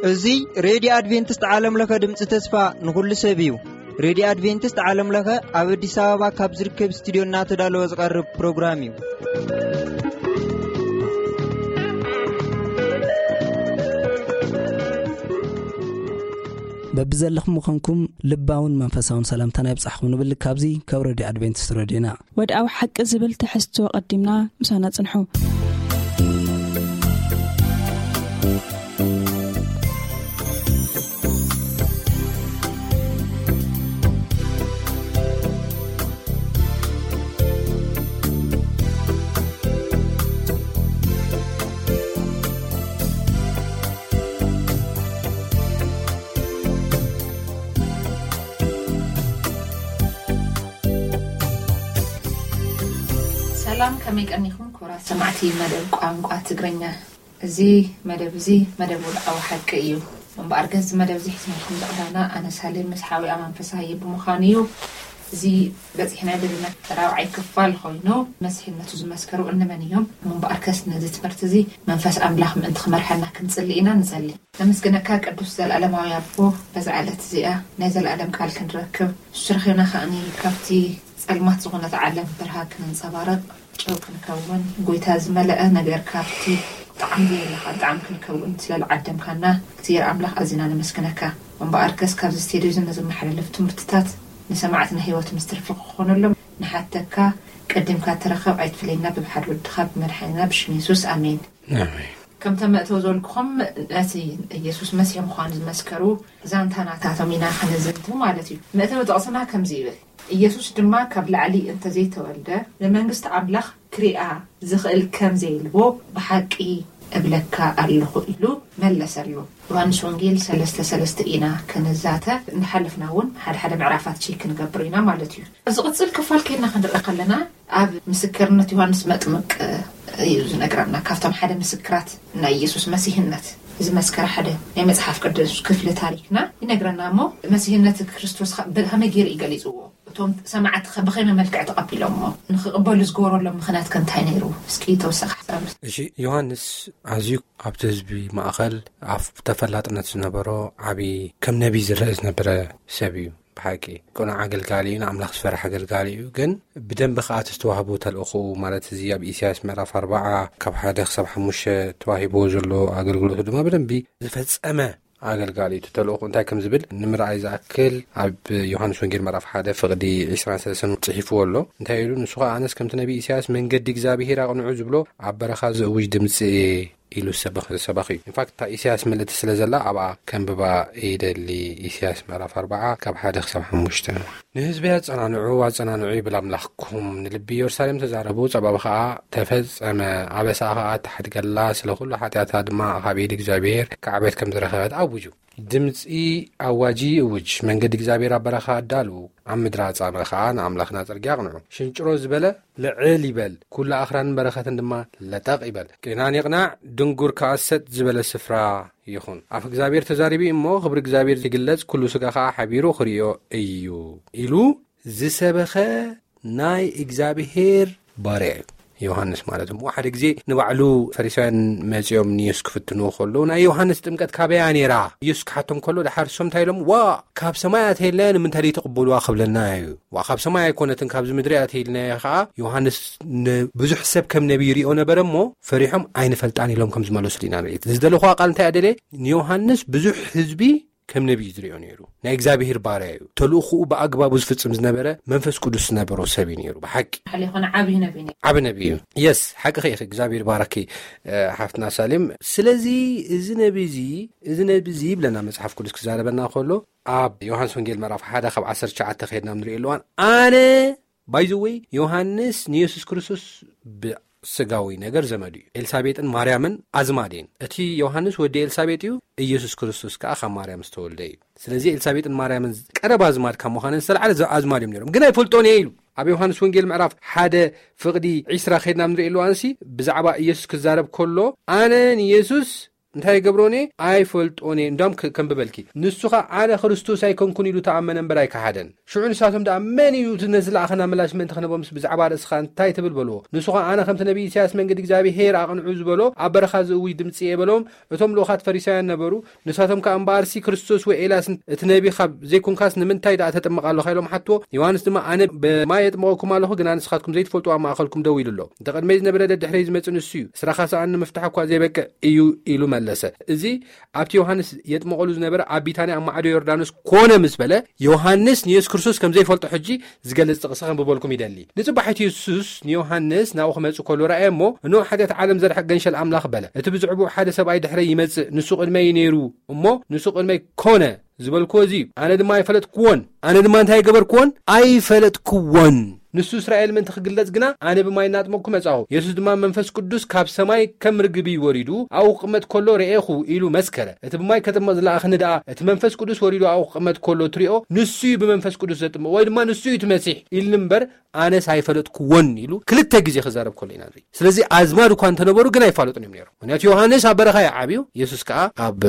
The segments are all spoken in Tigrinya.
እዚ ሬድዮ ኣድቬንቲስት ዓለም ለኸ ድምፂ ተስፋ ንኹሉ ሰብ እዩ። ሬድዮ ኣድቬንቲስት ዓለም ለኸ ኣብ ኣዲስ ኣበባ ካብ ዝርከብ ስቱዲዮ እናተዳለወ ዝቐርብ ፕሮግራም እዩ። በብዘለኹም ምዃንኩም ልባውን መንፈሳውን ሰላምታና ይብጻሕኩም ንብል። ካብዚ ካብ ሬድዮ ኣድቬንቲስት ሬድዮና። ወድኣዊ ሓቂ ዝብል ትሕዝቶ ቀዲምና ምሳና ጽንሑ። ሰላም፣ ከመይ ቀኒኹም ክቡራት ሰማዕቲ መደብ ቋንቋ ትግርኛ? እዚ መደብ እዚ መደብ ወድዓዊ ሓቂ እዩ። እምበኣር ግን እዚ መደብ እዚ ሒዝናልኩም ዝቐረብና ኣነ ሳሌም ምስ ሓዊኣ መንፈሳዊ ብምዃኑ እዩ። እዚ በፂሕና ዘለና ራብዓይ ክፋል ኮይኑ መሲሕነቱ ዝመስከሩ እንመን እዮም? እምበኣርከስ ነዚ ትምህርቲ እዚ መንፈስ ኣምላኽ ምእንቲ ክመርሐና ክንጽሊ ኢና። ንጸሊ። ነመስግነካ ቅዱስ ዘለኣለማዊ ኣቦ፣ በዛ ዕለት እዚኣ ናይ ዘለኣለም ቃል ክንረክብ፣ ንሱ ረኺብና ከኣኒ ካብቲ ጸልማት ዝኾነት ዓለም ብርሃን ክንንጸባረቕ፣ ጨው ክንከውን፣ ጎይታ ዝመልአ ነገር ካብቲ ጣዕሚ ዘየለ ጣዕሚ ክንከውን ስለ ዝዓደምካና እግዚኣብሔር ኣምላኽ ኣዚና ነመስግነካ። እምበኣርከስ ካብዚ ስቴድዮ እዚ ንዝመሓላለፍ ትምህርትታት ንሰማዕትና ህይወት ምስ ትርፊ ክኾነሎም ንሓተካ፣ ቀዲምካ ተረኸብ ኣይትፍለየና ብብሓደ ወድኻ ብመድሓኒና ብሽም የሱስ ኣሜን። ኣሜን። ከምተ መእተው ዘልኩኹም ነቲ ኢየሱስ መሲሕ ምዃኑ ዝመስከሩ ዛንታ ናታቶም ኢና ክንዝንቱ ማለት እዩ። መእተዊ ጥቕስና ከምዚ ይብል፣ ኢየሱስ ድማ ካብ ላዕሊ እንተዘይተወልደ ንመንግስቲ ኣምላኽ ክሪኣ ዝኽእል ከም ዘይልቦ ብሓቂ እብለካ ኣለኹ ኢሉ መለሰሉ። ዮሃንስ ወንጌል ሰለስተ ሰለስተ ኢና ክንዛተ፣ እንዳሓለፍና እውን ሓደ ሓደ ምዕራፋት ቼክ ክንገብር ኢና ማለት እዩ። ዝቕጽል ክፋል ከይና ክንርኢ ከለና ኣብ ምስክርነት ዮሃንስ መጥምቅ እዩ ዝነግረና። ካብቶም ሓደ ምስክራት ናይ ኢየሱስ መሲህነት ዝመስከረ ሓደ ናይ መጽሓፍ ቅዱስ ክፍሊ ታሪክና ይነግረና። እሞ መሲህነት ክርስቶስ ከ-፣ ብኸመይ ገይሩ እዩ ገሊጽዎ? እቶም ሰማዕቲ ከ ብኸመይ መልክዕ ተቐቢሎሞ? ንኽቕበሉ ዝገበረሎም ምኽንያት ከ እንታይ ነይሩ? እስኪ ተወሳኺ ሓሳብ። እሺ፣ ዮሃንስ ኣዝዩ ኣብቲ ህዝቢ ማእኸል ኣብ ተፈላጥነት ዝነበሮ ዓቢ ከም ነቢ ዝረአ ዝነበረ ሰብ እዩ። ብሓቂ ቅኑዕ ኣገልጋሊ እዩ፣ ንኣምላኽ ዝፈርሕ ኣገልጋሊ እዩ። ግን ብደንቢ ከኣ እቲ ዝተዋህቦ ተልእኾኡ፣ ማለት እዚ ኣብ ኢሳያስ ምዕራፍ ኣርባዓ ካብ ሓደ ክሳብ ሓሙሽተ ተዋሂብዎ ዘሎ ኣገልግሎቱ ድማ ብደንቢ ዝፈጸመ ኣገልጋሊ እዩ። እቲ ተልእኾ እንታይ ከም ዝብል ንምርኣይ ዝኣክል ኣብ ዮሃንስ ወንጌል ምዕራፍ ሓደ ፍቕዲ ዕስራን ሰለስተን ጽሒፍዎ ኣሎ። እንታይ ኢሉ? ንሱ ኸኣ ኣነስ ከምቲ ነቢ ኢሳያስ መንገዲ እግዚኣብሄር ኣቕንዑ ዝብሎ ኣብ በረኻ ዝእውጅ ድምጺ እየ ኢሉ ዝሰበኽ፣ ዝሰበኽ እዩ። ኢንፋክት እታ ኢሳያስ ምልእቲ ስለ ዘላ ኣብኣ ከንብባ ይደሊ። ኢሳያስ ምዕራፍ ኣርባዓ ካብ ሓደ ክሳብ ሓሙሽተ። ንህዝቢ ኣጸናንዑ፣ ኣጸናንዑ ይብል ኣምላኽኩም። ንልቢ ኢየሩሳሌም ተዛረቡ፣ ጸባብ ኸኣ ተፈጸመ። ኣበሳኣ ኸኣ ተሓድገላ፣ ስለ ኹሉ ሓጢኣታ ድማ ካብ ኢድ እግዚኣብሔር ካዕበት ከም ዝረኸበት ኣውጁ። ድምጺ ኣዋጂ ይእውጅ፣ መንገዲ እግዚኣብሔር ኣብ በረኻ ኣዳልዉ፣ ኣብ ምድሪ ኣጻምእ ኸኣ ንኣምላኽና ጽርግያ ኣቕንዑ። ሽንጭሮ ዝበለ ልዕል ይበል፣ ኩሉ ኣኽራንን በረኸትን ድማ ለጠቕ ይበል። ቄናን ይቕናዕ፣ ድንጉር ከኣ ሰጥ ዝበለ ስፍራ ይኹን። ኣፍ እግዚኣብሔር ተዛሪቡ እዩ እሞ፣ ክብሪ እግዚኣብሔር ይግለጽ፣ ኩሉ ስጋ ኸኣ ሓቢሩ ክርእዮ እዩ ኢሉ ዝሰበኸ ናይ እግዚኣብሔር ባርያ እዩ። ዮሃንስ ማለት እሞ ሓደ ግዜ ንባዕሉ ፈሪሳውያን መጺኦም ንየሱስ ክፍትንዎ ከለዉ፣ "ናይ ዮሃንስ ጥምቀት ካበያ ነይራ?" ኢየሱስ ክሓቶም ከሎ፣ ደሓር እሶም እንታይ ኢሎም? "ዋ፣ ካብ ሰማይ ኣተየልና፣ ንምንታይ ዘይትቕበልዋ?" ክብለና እዩ። ዋ፣ ካብ ሰማይ ኣይኮነትን፣ ካብዚ ምድሪ ኣተይልና እያ። ኸዓ ዮሃንስ ንብዙሕ ሰብ ከም ነቢይ ይሪኦ ነበረ እሞ፣ ፈሪሖም ኣይንፈልጣን ኢሎም ከም ዝመለሱሉ ኢና ንርኢ። ዝደለኹዋ ቃል እንታይ እያ ደልየ? ንዮሃንስ ብዙሕ ህዝቢ ከም ነቢይ ዝሪኦ ነይሩ። ናይ እግዚኣብሔር ባርያ እዩ። ተልእኾኡ ብኣግባቡ ዝፍጽም ዝነበረ መንፈስ ቅዱስ ዝነበሮ ሰብ እዩ ነይሩ። ብሓቂ ሓሊ ይኾነ ዓብዪ ነቢይ ነይሩ። ዓቢ ነቢይ እዩ። የስ፣ ሓቂ ኸ ኢኺ። እግዚኣብሔር ባረኪ፣ እ፣ ሓፍትና ሳሌም። ስለዚ እዚ ነቢ እዚ፣ እዚ ነቢ እዚ ይብለና መጽሓፍ ቅዱስ ክዛረበና ከሎ፣ ኣብ ዮሃንስ ወንጌል ምዕራፍ ሓደ ካብ ዓሰርተ ትሽዓተ ከይድና ንሪኦ ኣለዋን፣ ኣነ ባይዘወይ ዮሃንስ ንየሱስ ክርስቶስ ብስጋዊ ነገር ዘመዱ እዩ። ኤልሳቤጥን ማርያምን ኣዝማድ እየን። እቲ ዮሃንስ ወዲ ኤልሳቤጥ እዩ፣ ኢየሱስ ክርስቶስ ከኣ ካብ ማርያም ዝተወልደ እዩ። ስለዚ ኤልሳቤጥን ማርያምን ቀረባ ኣዝማድ ካብ ምዃነን ዝተላዕለ ዘ-፣ ኣዝማድ እዮም ነይሮም። ግን ኣይፈልጦን እየ ኢሉ። ኣብ ዮሃንስ ወንጌል ምዕራፍ ሓደ ፍቕዲ ዒስራ ከይድና ንርኢ ኣለዋንሲ ብዛዕባ ኢየሱስ ክዛረብ ከሎ፣ ኣነ ንየሱስ እንታይ ይገብሮን እየ? ኣይፈልጦን እየ። እንዳም ከንብበልኪ፣ ንሱ ኸዓ ኣነ ክርስቶስ ኣይኮንኩን ኢሉ ተኣመነ እምበር ኣይከሓደን። ሽዑ ንሳቶም ደኣ፣ መን እዩ እቲ ነዚ ለኣኸና ምላሽ ምእንቲ ክህቦምስ ብዛዕባ ርእስኻ እንታይ ትብል በልዎ። ንሱ ኸዓ ኣነ ከምቲ ነቢ ኢሳያስ መንገዲ እግዚኣብሔር ኣቕንዑ ዝበሎ ኣብ በረኻ ዝእውጅ ድምፂ እየ በሎም። እቶም ልኡኻት ፈሪሳውያን ነበሩ። ንሳቶም ከኣ እምበኣርሲ ክርስቶስ ወይ ኤልያስ እቲ ነቢ ካብ ዘይኮንካስ ንምንታይ ደኣ ተጥምቕ ኣለኻ ኢሎም ሓትዎ። ዮሃንስ ድማ ኣነ ብማይ የጥምቐኩም ኣለኹ፣ ግና ንስኻትኩም ዘይትፈልጡ ኣብ ማእኸልኩም ደው ኢሉ ኣሎ። እቲ ቅድመይ ዝነበረ ደድሕረይ ዝመጽእ ንሱ እዩ። ስራኻ ሰኣን ንምፍታሕ እኳ ዘይበቅዕ እዩ ኢሉ መለሰ። እዚ ኣብቲ ዮሃንስ የጥምቐሉ ዝነበረ ኣብ ቢታንያ ኣብ ማዕዶ ዮርዳኖስ ኮነ ምስ በለ፣ ዮሃንስ ንየሱስ ክርስቶስ ከም ዘይፈልጦ ሕጂ ዝገልጽ ጥቕሲ ከንብበልኩም ይደሊ። ንጽባሒቱ የሱስ ንዮሃንስ ናብኡ ክመጽእ ከሎ ረኣየ እሞ፣ እንሆ ሓጢኣት ዓለም ዘርሕቕ ገንሸል ኣምላኽ በለ። እቲ ብዝዕቡ ሓደ ሰብኣይ ድሕረይ ይመጽእ፣ ንሱ ቅድመይ ነይሩ እሞ፣ ንሱ ቅድመይ ኮነ ዝበልክዎ እዚ እዩ። ኣነ ድማ ኣይፈለጥክዎን። ኣነ ድማ እንታይ ገበርክዎን? ኣይፈለጥክዎን። ንሱ እስራኤል ምእንቲ ክግለጽ ግና ኣነ ብማይ እናጥመቅኩ መጻኹ። የሱስ ድማ መንፈስ ቅዱስ ካብ ሰማይ ከም ርግቢ ወሪዱ ኣብኡ ክቕመጥ ከሎ ርኤኹ ኢሉ መስከረ። እቲ ብማይ ከጥምቕ ዝለኣኽኒ ደኣ እቲ መንፈስ ቅዱስ ወሪዱ ኣብኡ ክቕመጥ ከሎ ትሪኦ ንሱ እዩ ብመንፈስ ቅዱስ ዘጥምቕ ወይ ድማ ንሱ እዩ እቲ መሲሕ ኢልኒ እምበር ኣነስ ኣይፈለጥክዎን ኢሉ ክልተ ግዜ ክዛረብ ከሎ ኢና ንርኢ። ስለዚ ኣዝማድ እኳ እንተነበሩ ግን ኣይፋለጡን እዮም ነይሮም። ምክንያቱ ዮሃንስ ኣብ በረኻ እዩ ዓብዩ፣ የሱስ ከዓ ኣብ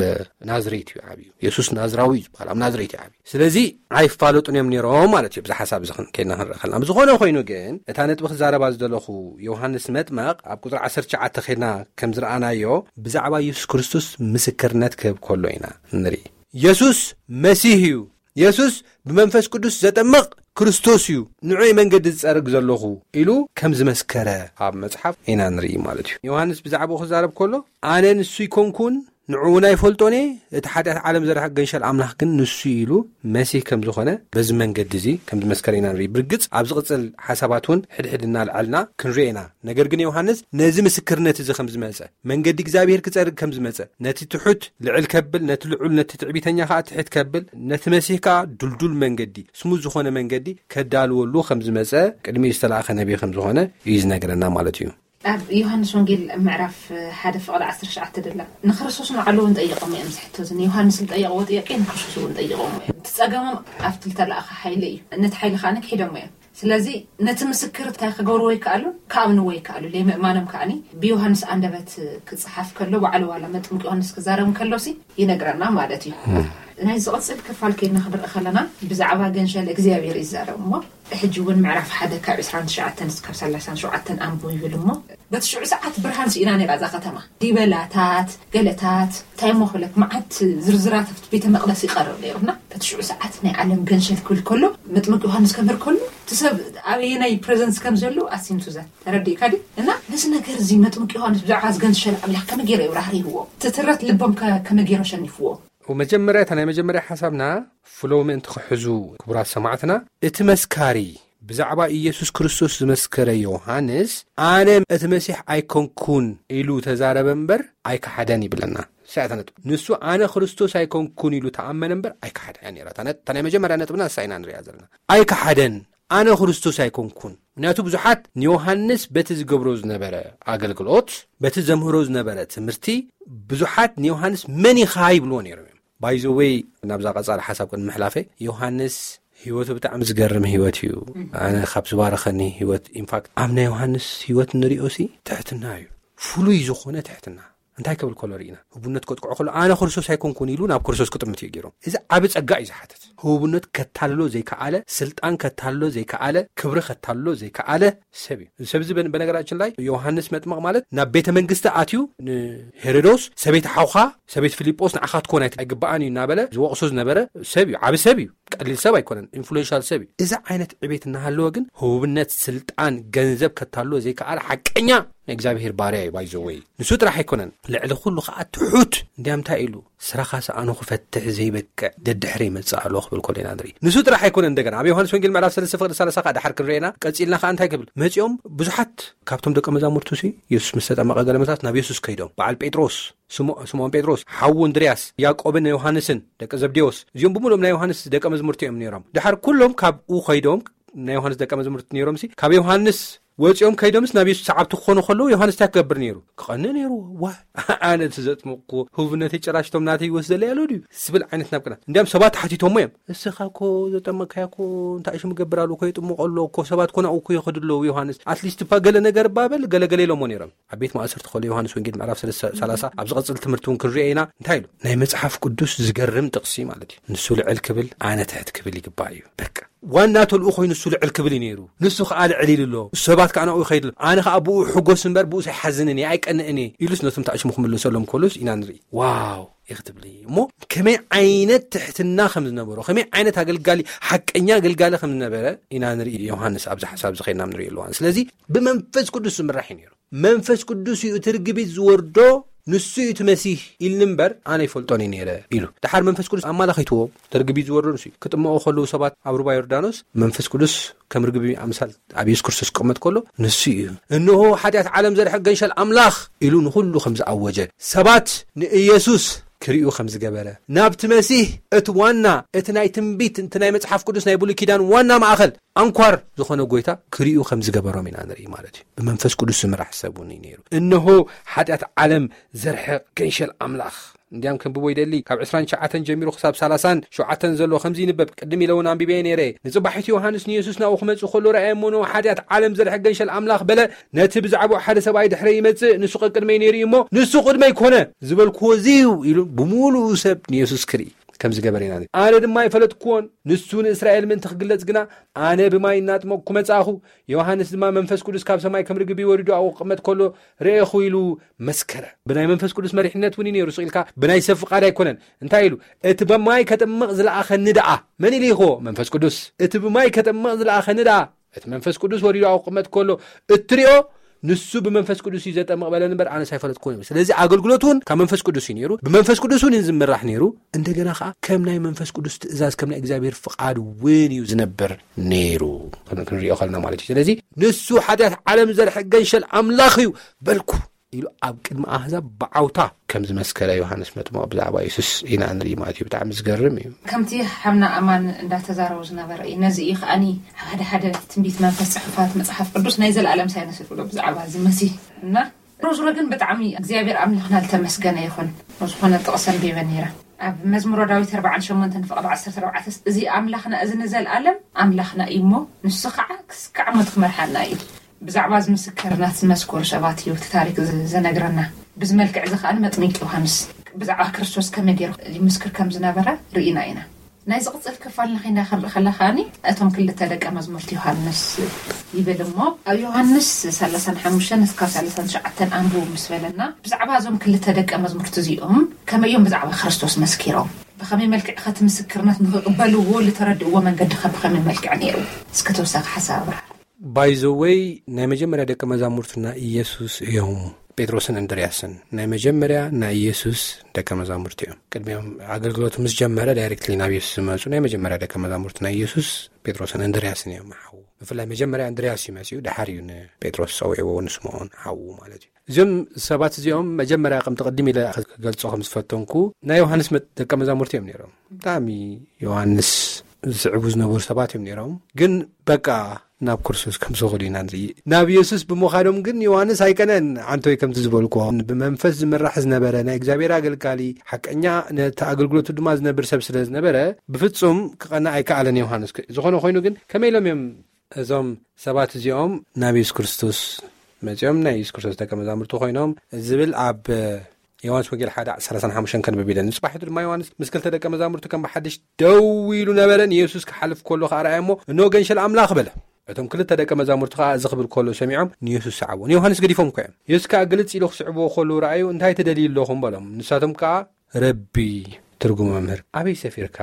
ናዝሬት እዩ ዓብዩ። የሱስ ናዝራዊ እዩ ዝበሃል ኣብ ናዝሬት እዩ ዓብዩ። ስለዚ ኣይፋለጡን እዮም ነይሮም ማለት እዩ። ብዚ ሓሳብ እዚ ከይድና ክንርኢ ከለና ብዝኾነ ኮይኑ ግን እታ ነጥቢ ክዛረባ ዝደለኹ ዮሃንስ መጥመቕ ኣብ ቁፅሪ ዓሰርተ ትሽዓተ ከይድና ከም ዝረኣናዮ ብዛዕባ የሱስ ክርስቶስ ምስክርነት ክህብ ከሎ ኢና ንርኢ። የሱስ መሲህ እዩ። የሱስ ብመንፈስ ቅዱስ ዘጠምቕ ክርስቶስ እዩ፣ ንዑ መንገዲ ዝጸርግ ዘለኹ ኢሉ ከም ዝመስከረ ኣብ መጽሓፍ ኢና ንርኢ ማለት እዩ። ዮሃንስ ብዛዕባኡ ክዛረብ ከሎ ኣነ ንሱ ይኮንኩን ንዑ እውን ኣይፈልጦን እየ፣ እቲ ሓጢኣት ዓለም ዘርሕቕ ገንሸል ኣምላኽ ግን ንሱ እዩ ኢሉ መሲህ ከም ዝኾነ በዚ መንገዲ እዚ ከም ዝመስከረ ኢና ንርኢ። ብርግጽ ኣብ ዝቕጽል ሓሳባት እውን ሕድሕድ እናልዓልና ክንሪኦ ኢና። ነገር ግን ዮሃንስ ነዚ ምስክርነት እዚ ከም ዝመጸ መንገዲ እግዚኣብሔር ክጸርግ ከም ዝመጸ ነቲ ትሑት ልዕል ከብል ነቲ ልዑል ነቲ ትዕቢተኛ ከዓ ትሕት ከብል ነቲ መሲህ ከዓ ድልዱል መንገዲ ስሙዝ ዝኾነ መንገዲ ከዳልወሉ ከም ዝመጸ ቅድሚኡ ዝተላእኸ ነቢ ከም ዝኾነ እዩ ዝነግረና ማለት እዩ። ኣብ ዮሃንስ ወንጌል ምዕራፍ ሓደ ፍቕዲ ዓሰርተ ትሽዓተ ደላ ንክርስቶስ ንዓሉ እውን ጠይቆም እዮም ዝሕቶ። እዚ ንዮሃንስ ዝጠየቕዎ ጥያቄ ንክርስቶስ እውን ጠይቆም እዮም። እቲ ጸገሞም ኣብቲ ዝተላእኸ ሓይሊ እዩ። ነቲ ሓይሊ ከዓ ክሒዶም እዮም። ስለዚ ነቲ ምስክር እንታይ ክገብርዎ ይከኣሉ? ክኣምንዎ ይከኣሉ። ለይምእማኖም ከኣኒ ብዮሃንስ ኣንደበት ክጽሓፍ ከሎ ባዕሉ ዋላ መጥምቂ ዮሃንስ ክዛረብ ከሎሲ ይነግረና ማለት እዩ። ናይ ዝቕጽል ክፋል ከይድና ክንርኢ ከለና ብዛዕባ ገንሸል እግዚኣብሔር ይዛረብ እሞ ሕጂ እውን ምዕራፍ ሓደ ካብ ዕስራን ትሽዓተን እስካብ ሰላሳን ሸውዓተን ኣንብቡ ይብል እሞ በቲ ሽዑ ሰዓት ብርሃን ስኢና ነይራ እዛ ከተማ። ዲበላታት፣ ገለታት፣ እንታይ እሞ ክብለክ መዓት ዝርዝራት ኣብቲ ቤተ መቕደስ ይቐርብ ነይሩና። በቲ ሽዑ ሰዓት ናይ ዓለም ገንሸል ክብል ከሎ መጥምቅ ዮሃንስ ከምህር ከሎ እቲ ሰብ ኣበየናይ ፕሬዘንስ ከም ዘሎ ኣሲምቱ ዘ ተረዲእካ ድዩ? እና ነዚ ነገር እዚ መጥምቅ ዮሃንስ ብዛዕባ እዚ ገንሸል ኣምላኽ ከመይ ገይሩ የብራህርህዎ? እቲ ትረት ልቦም ከ- ከመይ ገይሩ ኣሸኒፍዎ? መጀመርያ እታ ናይ መጀመርያ ሓሳብና ፍሎ ምእንቲ ክሕዙ ክቡራት ሰማዕትና እቲ መስካሪ ብዛዕባ ኢየሱስ ክርስቶስ ዝመስከረ ዮሃንስ ኣነ እቲ መሲሕ ኣይኮንኩን ኢሉ ተዛረበ እምበር ኣይከሓደን ይብለና። ሳያታ ነጥብ ንሱ ኣነ ክርስቶስ ኣይኮንኩን ኢሉ ተኣመነ እምበር ኣይከሓደን እያ ነይራ። እታ ነ- እታ ናይ መጀመርያ ነጥብና እሳ ኢና ንሪኣ ዘለና። ኣይከሓደን ኣነ ክርስቶስ ኣይኮንኩን። ምክንያቱ ብዙሓት ንዮሃንስ በቲ ዝገብሮ ዝነበረ ኣገልግሎት በቲ ዘምህሮ ዝነበረ ትምህርቲ ብዙሓት ንዮሃንስ መን ኢኻ ይብልዎ ነይሮም እዮም። ባይዘወይ ናብዛ ቀጻሊ ሓሳብ ቅድሚ ምሕላፈይ ዮሃንስ ህይወቱ ብጣዕሚ ዝገርም ህይወት እዩ። ኣነ ካብ ዝባረኸኒ ህይወት ኢንፋክት ኣብ ናይ ዮሃንስ ህይወት ንሪኦ ሲ ትሕትና እዩ። ፍሉይ ዝኾነ ትሕትና እንታይ ክብል ከሎ ርኢና ህቡነት ከጥቅዖ ከሎ ኣነ ክርስቶስ ኣይኮንኩን ኢሉ ናብ ክርስቶስ ክጥምት እዩ ገይሮም። እዚ ዓቢ ጸጋ እዩ ዝሓትት። ህቡነት ከታልሎ ዘይከኣለ፣ ስልጣን ከታልሎ ዘይከኣለ፣ ክብሪ ከታልሎ ዘይከኣለ ሰብ እዩ። እዚ ሰብ እዚ በ- በነገራችን ላይ ዮሃንስ መጥምቕ ማለት ናብ ቤተ መንግስቲ ኣትዩ ንሄሮዶስ ሰበይቲ ሓውኻ ሰበይቲ ፊልጶስ ንዓኻ ትኮን ኣይት- ኣይግብኣን እዩ እናበለ ዝወቕሶ ዝነበረ ሰብ እዩ። ዓቢ ሰብ እዩ። ቀሊል ሰብ ኣይኮነን። ኢንፍሉዌንሻል ሰብ እዩ። እዚ ዓይነት ዕቤት እናሃለወ ግን ህቡብነት፣ ስልጣን፣ ገንዘብ ከታልሎ ዘይከኣለ ሓቀኛ ናይ እግዚኣብሔር ባርያ እዩ። ባይዘወይ ንሱ ጥራሕ ኣይኮነን፣ ልዕሊ ኩሉ ከዓ ትሑት። እንዲያም እንታይ ኢሉ ስራኻ ሰኣኑ ክፈትሕ ዘይበቅዕ ደድሕረ ይመጽእ ኣሎ ክብል ከሎ ኢና ንርኢ። ንሱ ጥራሕ ኣይኮነን። እንደገና ኣብ ዮሃንስ ወንጌል ምዕራፍ ሰለስተ ፍቕዲ ሰላሳ ከዓ ደሓር ክንርኤና ቀጺልና ከዓ እንታይ ክብል መጺኦም ብዙሓት ካብቶም ደቀ መዛሙርቱ ሲ የሱስ ምስ ተጠመቐ ገለ መታት ናብ የሱስ ከይዶም በዓል ጴጥሮስ ስምኦ- ስምኦን ጴጥሮስ ሓዉ እንድርያስ ያዕቆብን ዮሃንስን ደቂ ዘብዴዎስ እዚኦም ብምሉኦም ናይ ዮሃንስ ደቀ መዝሙርቲ እዮም ነይሮም። ድሓር ኩሎም ካብኡ ከይዶም ናይ ዮሃንስ ደቀ መዝሙርቲ ነይሮም ሲ ካብ ዮሃንስ ወፂኦም ከይዶምስ ናብ የሱስ ሰዓብቲ ክኾኑ ከለዉ ዮሃንስ እንታይ ክገብር ነይሩ? ክቐንእ ነይሩ። ዋ ኣነ እቲ ዘጥመቕኩ ህቡብነተይ ጭራሽ እቶም ናተይ ይወስደለይ ኣሎ ድዩ ስብል ዓይነት ናብ ቅና እንዲያም ሰባት ሓቲቶሞ እዮም። እስኻ እኮ ዘጠመቅካያ እኮ እንታይ ሽም ገብር ኣለዎ እኮ የጥምቆ ኣሎ እኮ ሰባት ኮ ናብኡ እኮ ይኸዱ ኣለዉ ዮሃንስ ኣትሊስት እባ ገለ ነገር እባ በል ገለገለ ኢሎሞ ነይሮም። ኣብ ቤት ማእሰርቲ ከሎ ዮሃንስ ወንጌል ምዕራፍ ሰለስተ ሰላሳ ኣብ ዝቐጽል ትምህርቲ እውን ክንሪኦ ኢና። እንታይ ኢሉ ናይ መጽሓፍ ቅዱስ ዝገርም ጥቕሲ ማለት እዩ። ንሱ ልዕል ክብል ኣነ ትሕት ክብል ይግባእ እዩ። በቃ ዋና ተልኡ ኮይኑ ንሱ ልዕል ክብል እዩ ነይሩ። ንሱ ከዓ ልዕል ኢሉ ኣሎ። ሰባት ከዓ ናብኡ ይኸይድ ኣሎ። ኣነ ከዓ ብኡ ሕጎስ እምበር ብኡ ኣይሓዝንን እየ ኣይቀንእን እየ ኢሉስ ነቶም ታዕሽሙ ክምልሰሎም ከሎስ ኢና ንርኢ። ዋው ይኽትብል እሞ ከመይ ዓይነት ትሕትና ከም ዝነበሮ ከመይ ዓይነት ኣገልጋሊ ሓቀኛ ኣገልጋሊ ከም ዝነበረ ኢና ንርኢ። ዮሃንስ ኣብዚ ሓሳብ ዝኸይድና ንርኢ ኣለዋን ስለዚ ብመንፈስ ቅዱስ ዝምራሕ እዩ ነይሩ። መንፈስ ቅዱስ እዩ እቲ ርግቢት ዝወርዶ ንሱ እዩ እቲ መሲህ ኢልኒ እምበር ኣነ ይፈልጦን እዩ ነይረ ኢሉ። ድሓር መንፈስ ቅዱስ ኣማላኺትዎ እቲ ርግቢት ዝወርዶ ንሱ እዩ። ክጥመቑ ከለዉ ሰባት ኣብ ሩባ ዮርዳኖስ መንፈስ ቅዱስ ከም ርግቢ ኣምሳል ኣብ የሱስ ክርስቶስ ክቕመጥ ከሎ ንሱ እዩ። እንሆ ሓጢኣት ዓለም ዘርሕቕ ገንሸል ኣምላኽ ኢሉ ንኹሉ ከም ዝኣወጀ ሰባት ንኢየሱስ ክርእዩ ከም ዝገበረ ናብቲ መሲህ እቲ ዋና እቲ ናይ ትንቢት እቲ ናይ መጽሓፍ ቅዱስ ናይ ብሉይ ኪዳን ዋና ማእኸል ኣንኳር ዝኾነ ጎይታ ክርእዩ ከም ዝገበሮም ኢና ንርኢ ማለት እዩ። ብመንፈስ ቅዱስ ዝምራሕ ሰብ እውን እዩ ነይሩ። እንሆ ሓጢኣት ዓለም ዘርሕቕ ገንሸል ኣምላኽ እንዲያም ከንብቦ ይደሊ ካብ ዕስራን ትሽዓተን ጀሚሩ ክሳብ ሰላሳን ሸውዓተን ዘሎ ከምዚ ይንበብ። ቅድም ኢለ እውን ኣንቢበየ ነይረ። ንጽባሒቱ ዮሃንስ ንየሱስ ናብኡ ክመጽእ ከሎ ረኣየ እሞ ንሆ ሓጢኣት ዓለም ዘርሕቕ ገንሸል ኣምላኽ በለ። ነቲ ብዛዕባኡ ሓደ ሰብኣይ ድሕረይ ይመጽእ ንሱ ቀቅድመይ ነይሩ እዩ እሞ ንሱ ቅድመይ ኮነ ዝበልክዎ እዚ እዩ ኢሉ ብምሉኡ ሰብ ንየሱስ ክርኢ ከም ዝገበረ ኢና። ኣነ ድማ ኣይፈለጥክዎን ንሱ ንእስራኤል ምእንቲ ክግለጽ ግና ኣነ ብማይ እናጥመቕኩ መጻእኹ። ዮሃንስ ድማ መንፈስ ቅዱስ ካብ ሰማይ ከም ርግቢ ወሪዱ ኣብኡ ክቕመጥ ከሎ ርኤኹ ኢሉ መስከረ። ብናይ መንፈስ ቅዱስ መሪሕነት እውን እዩ ነይሩ። ስቕ ኢልካ ብናይ ሰብ ፍቓድ ኣይኮነን። እንታይ ኢሉ? እቲ ብማይ ከጥምቕ ዝለኣኸኒ ደኣ መን ኢሉ ይኸዎ? መንፈስ ቅዱስ። እቲ ብማይ ከጥምቕ ዝለኣኸኒ ደኣ እቲ መንፈስ ቅዱስ ወሪዱ ኣብኡ ክቕመጥ ከሎ እትሪኦ ንሱ ብመንፈስ ቅዱስ እዩ ዘጠምቕ በለኒ እምበር ኣነስ ኣይፈለጥኩን እዩ። ስለዚ ኣገልግሎት እውን ካብ መንፈስ ቅዱስ እዩ ነይሩ። ብመንፈስ ቅዱስ እውን እዩ ዝምራሕ ነይሩ። እንደገና ከዓ ከም ናይ መንፈስ ቅዱስ ትእዛዝ ከም ናይ እግዚኣብሔር ፍቓድ እውን እዩ ዝነብር ነይሩ ክንሪኦ ከልና ማለት እዩ። ስለዚ ንሱ ሓጢኣት ዓለም ዘርሕቅ ገንሸል ኣምላኽ እዩ በልኩ ኢሉ ኣብ ቅድሚ ኣህዛብ ብዓውታ ከም ዝመስከረ ዮሃንስ መጥምቕ ብዛዕባ የሱስ ኢና ንርኢ ማለት እዩ። ብጣዕሚ ዝገርም እዩ። ከምቲ ሓምና ኣማን እንዳተዛረቡ ዝነበረ እዩ። ነዚ እዩ ከዓኒ ሓደ ሓደ ትንቢት መንፈስ ጽሑፋት መጽሓፍ ቅዱስ ናይ ዘለኣለም ሳይንስ ይብሎ ብዛዕባ እዚ መሲህ እና ሮዝሮ ግን ብጣዕሚ እግዚኣብሔር ኣምላኽና ዝተመስገነ ይኹን። ዝኾነ ጥቕሲ ኣንቢበ ነይረ ኣብ መዝሙሮ ዳዊት ኣርባዓን ሸሞንተን ፍቕዲ ዓሰርተ ኣርባዕተ እዚ ኣምላኽና እዚ ንዘለኣለም ኣምላኽና እዩ እሞ ንሱ ከዓ ክስካዕ ሞት ክመርሓና እዩ። ብዛዕባ እዚ ምስክርነት ዝመስከሩ ሰባት እዩ እቲ ታሪክ ዝ- ዝነግረና። ብዚ መልክዕ እዚ ከዓ መጥሚቅ ዮሃንስ ብዛዕባ ክርስቶስ ከመይ ገይሩ ይምስክር ከም ዝነበረ ርኢና ኢና። ናይ ዝቕፅል ክፋል ንኸይና ክንርኢ ከላ ከዓኒ እቶም ክልተ ደቀ መዝሙርቲ ዮሃንስ ይብል እሞ ኣብ ዮሃንስ ሰላሳን ሓሙሽተን እስካብ ሰላሳን ትሽዓተን ኣንብቡ ምስ በለና ብዛዕባ እዞም ክልተ ደቀ መዝሙርቲ እዚኦም ከመይ እዮም ብዛዕባ ክርስቶስ መስኪሮም ብኸመይ መልክዕ ኸቲ ምስክርነት ንኽቕበልዎ ልተረድእዎ መንገዲ ኸ ብኸመይ መልክዕ ነይሩ? እስከ ተወሳኺ ሓሳብ ኣብርሃ። ባይዘወይ ናይ መጀመርያ ደቀ መዛሙርትና ኢየሱስ እዮም። ጴጥሮስን እንድርያስን ናይ መጀመርያ ናይ ኢየሱስ ደቀ መዛሙርቲ እዮም። ቅድሚኦም ኣገልግሎት ምስ ጀመረ ዳይሬክትሊ ናብ ኢየሱስ ዝመፁ ናይ መጀመርያ ደቀ መዛሙርቲ ናይ ኢየሱስ ጴጥሮስን እንድርያስን እዮም። ሓዉ ብፍላይ መጀመርያ እንድርያስ እዩ መፅኡ፣ ድሓር እዩ ንጴጥሮስ ፀዊዕዎ ንስምዖን ሓዉ ማለት እዩ። እዚኦም ሰባት እዚኦም መጀመርያ ከምቲ ቅድም ኢለ ክገልፆ ከም ዝፈተንኩ ናይ ዮሃንስ መ- ደቀ መዛሙርቲ እዮም ነይሮም። ብጣዕሚ ዮሃንስ ዝስዕቡ ዝነበሩ ሰባት እዮም ነይሮም። ግን በቃ ናብ ክርስቶስ ከም ዝኸዱ ኢና ንርኢ። ናብ ኢየሱስ ብምኻዶም ግን ዮሃንስ ኣይቀነን። ዓንቶይ ከምቲ ዝበልኩዎ ብመንፈስ ዝምራሕ ዝነበረ ናይ እግዚኣብሔር ኣገልጋሊ ሓቀኛ ነቲ ኣገልግሎቱ ድማ ዝነብር ሰብ ስለ ዝነበረ ብፍጹም ክቐንእ ኣይከኣለን ዮሃንስ። ዝኾነ ኮይኑ ግን ከመይ ኢሎም እዮም እዞም ሰባት እዚኦም ናብ የሱስ ክርስቶስ መጺኦም ናይ የሱስ ክርስቶስ ደቀ መዛሙርቲ ኮይኖም ዝብል ኣብ ዮሃንስ ወንጌል ሓደ ሰላሳን ሓሙሽተን ከንብብ ኢለ። ንጽባሒቱ ድማ ዮሃንስ ምስ ክልተ ደቀ መዛሙርቱ ከም ብሓድሽ ደው ኢሉ ነበረ። ንየሱስ ክሓልፍ ከሎ ከኣ ረኣየ እሞ፣ እንሆ ገንሸል ኣምላኽ በለ። እቶም ክልተ ደቀ መዛሙርቲ ከኣ እዚ ክብል ከሎ ሰሚዖም ንየሱስ ሰዓብዎ። ንዮሃንስ ገዲፎም እኮ እዮም። የሱስ ከኣ ግልጽ ኢሉ ክስዕብዎ ከሎ ረኣዩ፣ እንታይ ትደልዩ ኣለኹም በሎም። ንሳቶም ከኣ ረቢ፣ ትርጉሙ መምህር፣ ኣበይ ሰፊርካ